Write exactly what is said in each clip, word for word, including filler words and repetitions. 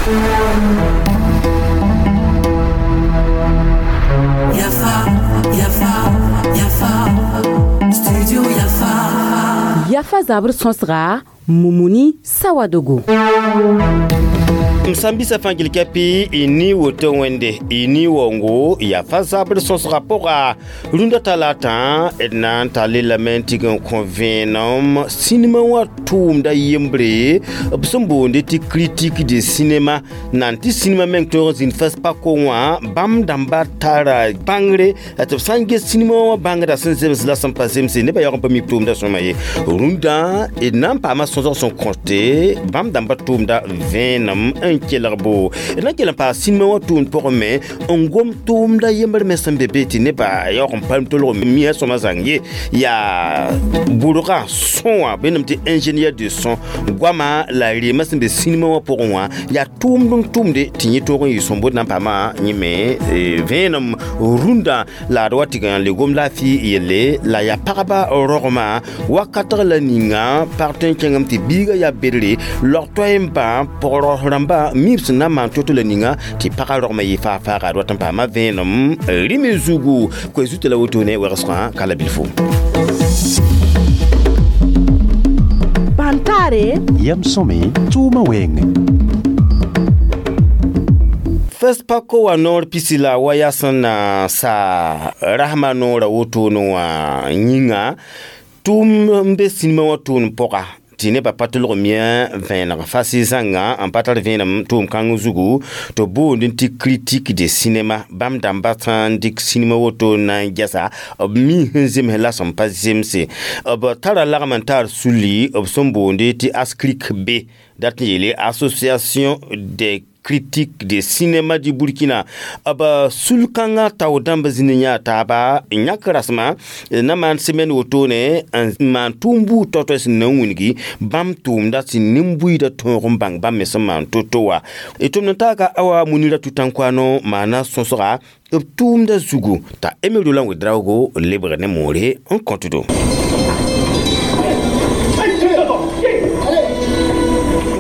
Yafa, Yafa, Yafa, Studio Yafa. Yafa zabr sõsga Mumuni Sawadogo. M sãn bisa fãa gil kɛpɩ y ni woto wẽnde y ni waoongo yaa fa zabr sõsga pʋga rũndã talaatã d na n tall lame n tɩg n kõ vẽenem sinima wã tʋʋmda yembre b sẽn boonde tɩ critique de cinéma nan tɩ sinima meng tõog n zĩnd FESPACO wã bãmb dãmba tara bãngre tɩ b sã n ges sinima wã bãngda sẽn zems la sẽn pa zemse nebã yaoog n pa mi b tʋʋmda sõma ye rũndã d na n paama sõsg sẽn kõte bãmb dãmba tʋʋmda vẽenem n kelg bo d na n kell n paas sinima wã tʋʋmd pʋgẽ me n gom tʋʋmda yembr me sẽn be be tɩ nebã yaoog n palm tolg mia sõma zãng ye yaa bʋrgã sõ wã bẽnam tɩ ingénieur de son goama la reemã sẽn be sinima wã pʋgẽ wã yaa tʋʋmd n tʋmde tɩ yẽ toog n yɩ sõmbod na n paama yẽ me vẽenem rũndã la d wa tɩg n le gom laafɩ yelle la yaa pagba rogmã wakatg la ninga pag tõe n kẽngame tɩ biigã yaa bedre log toay n bã pʋg rãmba mi b sẽn na n maan to-to la ninga tɩ pagã rogmã yɩ faa-faaga d wat n paama vẽenem rɩme zugu koe zutã la wotone wegsgã ka la bilfo. Bantare yam sõme tʋʋmã wɛɛngẽ. FESPACO wã noor pisi la wa yaa sẽn na sa rasmã noorã wotone wã yĩnga tʋʋm n be sinima wã tʋʋmd pʋga tɩ nebã pa tolg mia vẽeneg fasi zãnga n pa tar vẽenem tʋʋm kãng zugu tɩ boond tɩ critique de cinéma bãmb dãmba sã n dɩk sinima woto n na n gɛsa b mi sẽn zems la sẽn pa zemse b tara lagm n tar sulli b sẽn boonde tɩ ASCRIC B dat n yeele Association des critique de cinéma du Burkina b sul-kãngã tao dãmb zĩnd yã taaba n yãk rasmã na maan semaine wotone n maan tʋʋm buud tao-tao sẽn na n wilgi bãmb tʋʋmda sẽn nin-buiidã tõog n bãng bãmb me sẽn maan to-to wa d tʋmd n taaka awa Munira Tutankouano maana sõsga b tʋʋmda zugu t'a Emery Roland Ouedraogo lebg ne moore n kõtdo.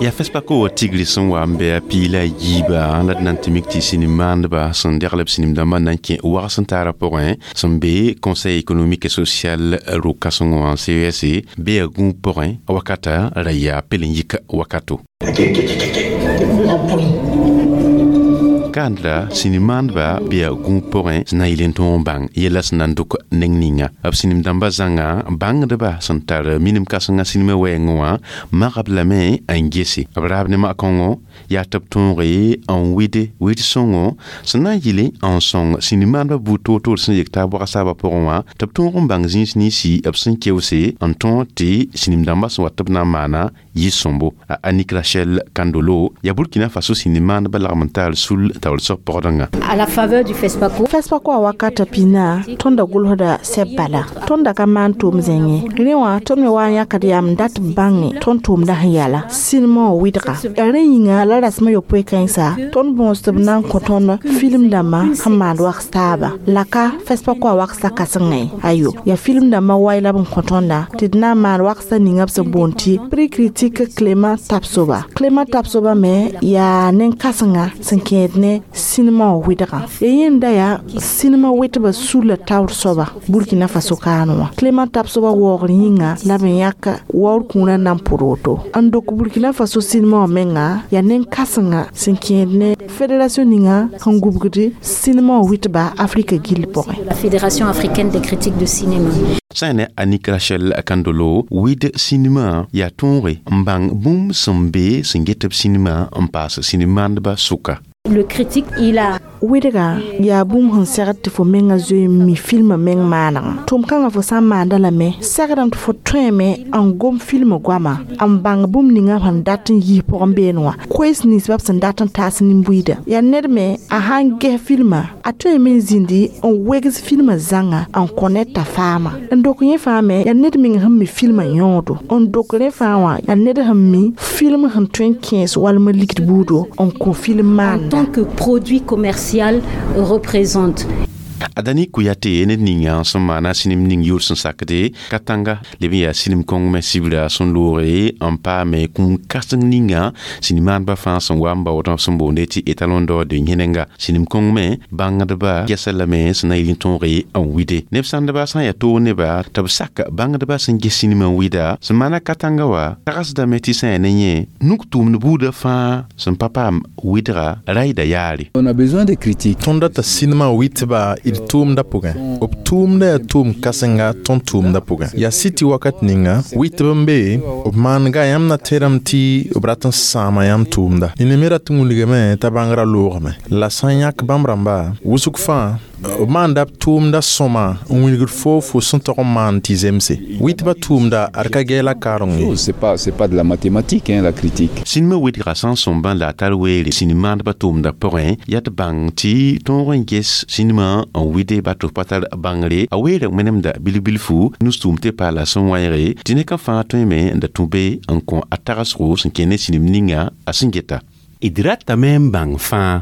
Yaa FESPACO tigri sẽn wa n bɩ a piig la a yiiba la d na n tɩ mik tɩ sĩnim-maandba sẽn degl b sĩnim-dãmbã na n kẽ wags n taara pʋgẽ sẽn be Conseil économique et social ro-kãseng wã C E S bee a gũub pʋgẽ wakata ra yaa pel n yik wakato. Kandra sĩnim-maandba bee a gũub pʋgẽ sẽn na n yɩl n tõog n bãng yɛla sẽn na n dʋk neng ninga b sĩnim-dãmbã zãnga bãngdba sẽn tar minim kãsenga sinima wɛɛngẽ wã magb lame n gese b raab ne mak-kãngõ yaa tɩ b tõoge n wɩde wɩd-sõngo sẽn na n yɩle n sõng sĩnim-maandbã buud toor-toor sẽn yek taab wags taabã pʋgẽ wã tɩ b tõog n bãng zĩis ninsi b sẽn keoose n tõog tɩ sĩnim-dãmbã sẽn wat tɩ b na n maana yɩ sõmbo. A Annick Rachel Kandolo yaa Burkina Faso sĩnim-maandbã lagm n taar sul taoor seg pɔgdẽnga. À la faveur du FESPACO. FESPACO a wakata pina tõnda gʋlsda sɛb bala tõnda ka maan tʋʋm zẽngẽ rẽ wã tõnd me wa n yãkd yaa m dat bãnge tõnd tʋʋmda sẽn yala sinima wã wɩdga yaa rẽ yĩnga la rasmã yopoe kãensa tõnd bõos tɩ b na n kõ tõnd film dãmbã sẽn maand wags taaba la ka FESPACO a waksa kãsengẽ ayo yaa film dãmbã wai la b n kõ tõnda tɩ d na n maan waksa ninga b sẽn boond tɩ prix critique Clément Tapsoba. Clément Tapsoba me yaa nen-kãsenga sẽn kẽed ne sinima wã wɩdgã ya yẽnda yaa sinima wɩtbã sulla taoor soaba Burkina Faso kaane wã Clément Tapsoba waoogr yĩnga la b yãk waoor kũurã na n pʋd woto n dok Burkina Faso sinima wã menga yaa nen-kãsenga sẽn kẽed ne fédération ninga sẽn gubgd sinima wã wɩtba Afrika gill pʋgẽ. La Fédération africaine des critiques de cinéma. Sã ne Annick Rachel Kandolo wɩd sinima yaa tõoge n bãng bũmb sẽn be sẽn get b sinima n paas sĩnim-maandbã sʋka. Le critique, il a wɩdga yaa bũmb sẽn segd tɩ fo menga zoe n mi filmã meng maanegã tʋʋm kãngã fo sã n maanda lame segdame tɩ fo tõeme n gom filmã goama n bãng bũmb ninga sẽn dat n yis pʋgẽ beene wã koees ninsbã b sẽn dat n taas nin-buiida yaa ned me a sãn ges filmã a tõeme n zĩndi n wegs filmã zãnga n kõ ned t'a faama n dok yẽ fãa me yaa ned meng sẽn mi filmã yõodo n dok rẽ fãa wã yaa ned sẽn mi film sẽn tõe n kẽes walma ligd buudo n kõ film en maanda. tant que produit commercial représente. Adani Kouyaté ned ninga sẽn maana sɩnem ning yʋʋr sẽn sakde Katanga leb n yaa sɩnem kõng me sibra sẽn looge n paame kũum kãseng ninga sĩnim-maandbã fãa sẽn wa n baood sẽn boonde tɩ étalon d'or de yẽnenga sĩnim kõng me bãngdba gɛsa lame sẽn na yɩl n tõoge n wide neb sãndba sã n yaa toog neba tɩ b sak bãngdbã sẽn ges sĩnimã n wida sẽn maana Katanga wa tagsdame tɩ sã yaa ne yẽ nuk tʋʋmd buudã fãa sẽn pa paam wɩdga raida yaare. On a besoin de critiques. Tõnd data sinema wɩtba d tʋʋmdã pʋgẽ. B tʋʋmda yaa tʋʋm kãsenga tõnd tʋʋmdã pʋgẽ. Yaa sɩ tɩ wakat ninga wɩtb n be b maanga yãmb na tẽdame tɩ b rat n sãama yãmb tʋʋmda. Nina me rat n wilgame t'a bãngrã loogame. La sã n yãk bãmb rãmba wʋsg fãa b maanda b tʋʋmda sõma n wilgd foo fo sẽn tog n maan tɩ zemse. Wɩtbã tʋʋmda ad ka gɛɛla kareng ye. C'est pas c'est pas de la mathématique hein, la critique. Sĩnimã wɩdga sã n sõmbã la a tar weere sĩnim-maandbã tʋʋmdã pʋgẽ yaa tɩ bãng tɩ tõog n ges sĩnimã n wɩde ba tɩ f pa tar bãngre a weera wẽnemda bilf-bilfu nus-tʋʋm tɩ paala sẽn wãeege tɩ ne ka fãa tõeme n da tũ be n kõ a tagsgo sẽn kẽ ne sĩnim ninga a sẽn geta. D ratame n bãng fãa.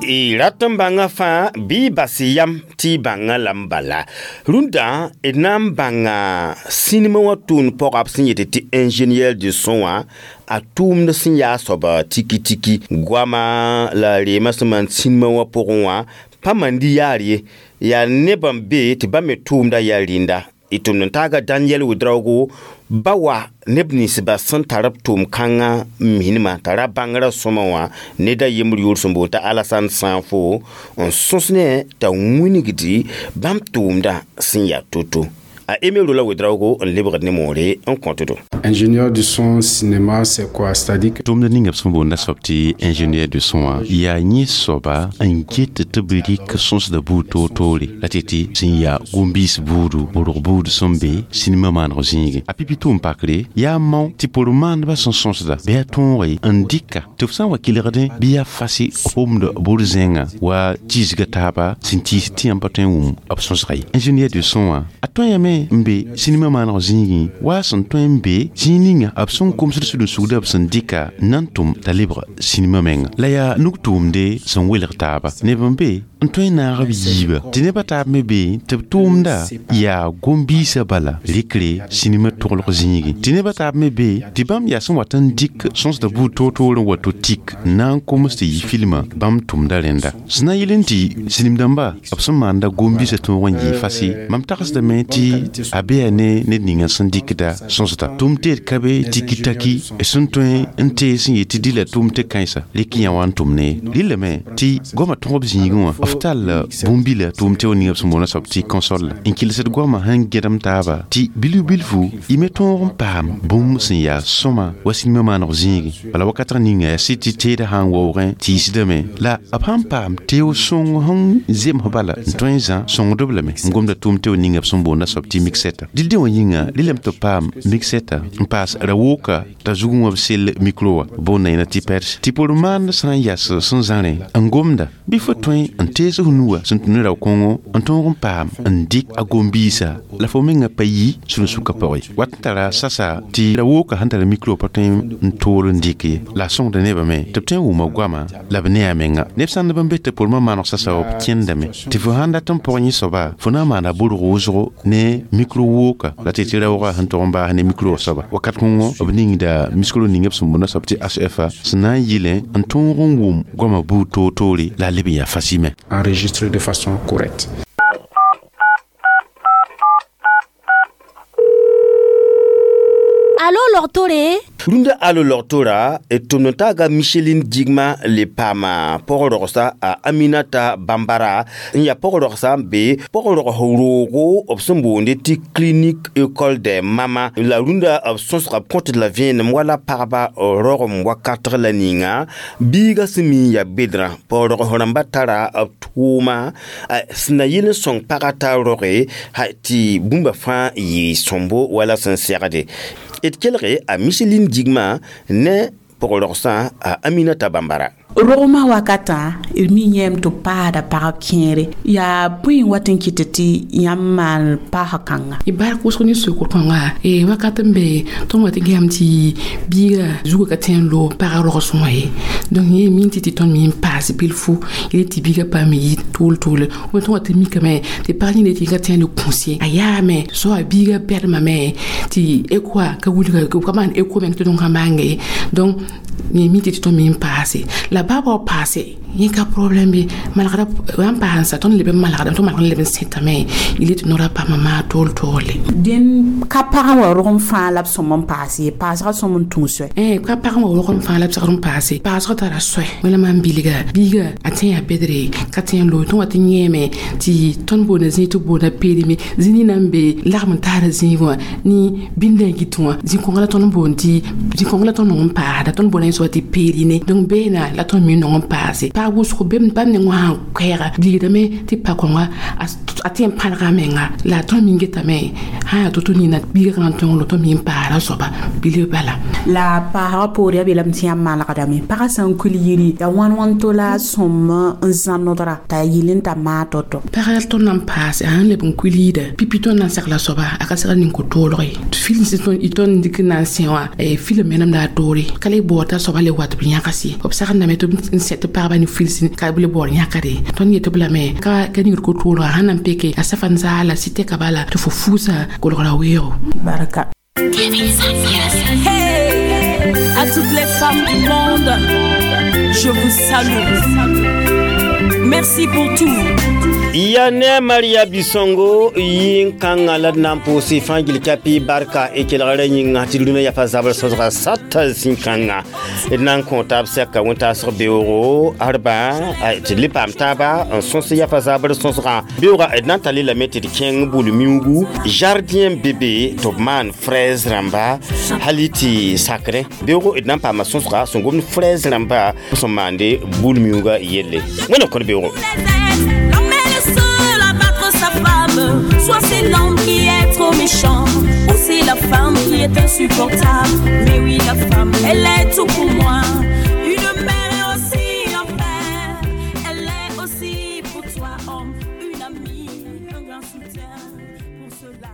Y rat n bãngã fãa bɩ bas yam tɩ y bãngã la n bala rũndã d na n bãnga sĩnimã wã tʋʋmd pɔga b sẽn yet tɩ ingénieur de son wã a tʋʋmd sẽn yaa soaba tiki-tiki goama la reemã sẽn maan sĩnimã wã pʋgẽ wã pa mandi yaar ye yaa neb n be tɩ bãmb me tʋʋmda yaa rĩnda y tʋmd n taaga Daniel Ouedraogo ba wa neb ninsba sẽn tar b tʋʋm-kãngã minemã tara bãngrã sõma wã ned a yembr yʋʋr sẽn boond t'a Alassane Sanfo n sõs ne t'a wingdi bãmb tʋʋmdã sẽn yaa to-to. A Aimé Rola Ouedraogo n lebgd ne moore n kõtdo. Ingénieur du son cinéma, c'est quoi? C'est-à-dire que tʋʋmd ninga b sẽn boonda soab tɩ ingénieur de son wã yaa yẽ soaba n get tɩ b rɩk sõsda buud toor-toore la tɩ tɩ sẽn yaa gom-biis buudu borg buud sẽn be sinimã maaneg zĩigẽ a pipi tʋʋm pakre yaa mao tɩ por-maandbã sẽn sõsda bɩ a tõoge n dɩka tɩ f sã n wa kelgdẽ bɩ yaa fasi b wʋmd bur-zẽngã wa tiisga taaba sẽn tiis tɩ yãmb pa tõe n wʋm b sõsga ye. Ingénieur de son wã a tõe n be sinimã maaneg zĩigẽ wa sẽn tõe n be zĩig ninga b sẽn komsd sud-n-sugda b sẽn dɩka na n tʋm t'a lebg sinimã menga la yaa nug-tʋʋmde sẽn welg taaba neb n be n tõe n naag b yiiba tɩ nebã taab me be tɩ b tʋʋmda yaa gom-biisã bala rɩkre sinimã toglg zĩigẽ tɩ nebã taab me be tɩ bãmb yaa sẽn wat n dɩk sõsda buud toor-toor n wa to tik n na n koms tɩ yɩ filmã bãmb tʋmda rẽnda sẽn na n yɩl n tɩ sinim-dãmba b sẽn maanda gom-biisã tõog n yɩ fasi mam tagsdame tɩ a bea ne ned ninga sẽn dɩkda sõsda tʋʋm teed ka be tiki-taki sẽn tõe n tee sẽn yet tɩ dɩla tʋʋm tɩ kãensa rɩk yã wa n tʋm ne rɩllame tɩ goamã tõg b zĩigẽ wã f tall bũmb-bila tʋʋm tɩ ninga b sẽn boonda soab tɩ console n kɩlsd goamã sẽn gẽdem taaba tɩ bilf-bilfu y me tõog n paam bũmb sẽn yaa sõma wa sinimã maaneg zĩigẽ bala wakatg ninga yaa sɩd tɩ teedã sã n waoogẽ tiisdame la b sãn paam teo sõng sẽn zems bala n tõe n zã sõngdb lame n gomda tʋʋm tɩ ninga b sẽn boonda soab tɩ mixeta dɩl wã yĩnga rɩlame tɩ b paam mixeta n paas ra-wooka t'a zugẽ wã b sell mikro wã boonda yẽna tɩ pɛrs tɩ por-maand sã n yas sẽn zãrẽ n gomda bɩ fo tõe n tees f nuga sẽn tũ ne rao-kõngo n tõog n paam n dɩk a gom-biisã la fo mengã pa yi sũ-n-sukã pʋgẽ wat n tara sasa tɩ ra-wooka sẽn tar mikro pa tõe n toor n dɩk ye la a sõngda nebã me tɩ b tõe n wʋma goamã la b ne a menga neb sãndb n be tɩ pormã maaneg sasa b kẽndame tɩ fo sãn dat n pʋg yẽ soaba fo na n maana borg wʋsgo ne mikro wooka la tɩ tɩ raoogã sẽn tog n baas ne mikro soaba wakat kõngo b ningda miskro ning b sẽn boonda soab tɩ H F A sẽn na n yɩlẽ n tõog n wʋm goamã buud toor-toore la a leb n yaa fasime. Enregistré de façon correcte. Alo logtore Rũndã alo logtora d tʋmd n taaga Micheline Digma le paama pɔg-rogsa a Aminata Bambara n yaa pɔg-rogsa n be pɔg-rogs roogo b sẽn boonde tɩ clinique école des mama la rũndã b sõsga b kõtd la vẽenem wala pagba rogem wakatg la ninga biiga sẽn mi n yaa bedrã pɔg-rogs rãmbã tara b tʋʋma sẽn na yɩl n sõng pagã t'a roge tɩ bũmba fãa yɩ sõmbo wala sẽn segde d kelge a Micheline Digma ne pʋg rogsã a Aminata Bambara. Rogmã wakatã d mi yẽem tɩ b paasda pagb kẽere yaa bõe n wat n kɩt tɩ yãmb maan paasg kãnga? Y bark wʋsg ne sokr kõnga e wakat n be tõnd wa tɩ gɛm tɩ biiga zugã ka tẽ n loog pagã rogsẽ wã ye. Donc yẽ min tɩ tɩ tõnd me n paas bilfu yele tɩ biiga paam yɩ tʋʋl tʋʋle b tõnd wa tɩ mikame tɩ pag yĩnga tɩ ka tẽ n le kũs ye a yaame soa biiga bɛdmame tɩ écho ka wilga ka maan écho meng tɩ tõnd ka maanga ye. Donc yẽ mi tɩ tɩ tõnd me n paase la baa wa paase yẽ ka problème be malgda n paansa tõnd leb n malgda tõnd malg n leb n sẽtame yele tɩ noora paama maa tool toole. Dẽn ka pagã wa rogem fãa la b sõm n paas ye paasgã sõm n tũ soɛ? Ka pagã wa rogem fãa la b segd n paase paasgã tara soɛ wẽla maan bilga biiga a tẽ yaa bedre ka tẽ n loog tõnd wa tɩ yẽeme tɩ tõnd boonda zĩig tɩ b boonda perime zĩ nina n be lagm n taara zĩig wã ne bĩndã git wã zĩ-kõnga la tõnd n boond tɩ zĩ-kõnga la tõnd nong n paasda tõnd boonda yẽ soaba tɩ perine. Donc beena la tõnd me nong n paase paag wʋsgo bãmb neng wã sãn koɛɛga bilgdame tɩ pa kõnga a tẽ n pãnega a menga la tõnd me getame sã yaa to-to nina biiga kãngã tõng tõnd me n paara soaba bilf bala. La paasgã poore yaa beelame tɩ yãmb malgdame pagã sã n kuil yiri yaa wãn wãn to la a sõm n zãnodra t'a yɩl n ta maa to-to? Pagã tõnd na n paase a sãn leb n kuil yida pipi tõnd na n segla soaba a ka segl nin ko-toolg ye film sẽn tõnd dɩk n na n sẽ wã film menemda a toore ka le baood t'a soaba le wat b yãgs ye b sagendame tɩ n sɛ tɩ pagba ne fils ka b le baood yãkade tõnd yetɩ b lame ka ka ningd ko-toolga sãn na n peke a safa n zaala sɩ tɛka bala tɩ fo fuusa kolgra weoogo. Barka. Hey, à toutes les femmes du monde, je vous salue. Merci pour tout. Ya ne Maria Bisongo yin kãngã la d na n pʋʋs fãa gil kapi barka y kelgrã yĩnga tɩ rũnã yafa zabr sõsga sata zĩ-kãngã d na n kõ taab sɛka wẽn-taasg beoogo arba tɩ d le paam taaba n sõs yafa zabr sõsgã beoogã d na n tall lame tɩ d kẽng bul-miuugu jardin bébé tɩ b maan fraise rãmba hali tɩ sakrẽ beoogo d na n paama sõsga sẽn gomd fraise rãmba sẽn maande bul-miuugã yelle wẽna kõd beoogo. Seul à battre sa femme, soit c'est l'homme qui est trop méchant, ou c'est la femme qui est insupportable. Mais oui, la femme, elle est tout pour moi. Une mère et aussi un père, elle est aussi pour toi, homme, une amie, un grand soutien. Pour cela,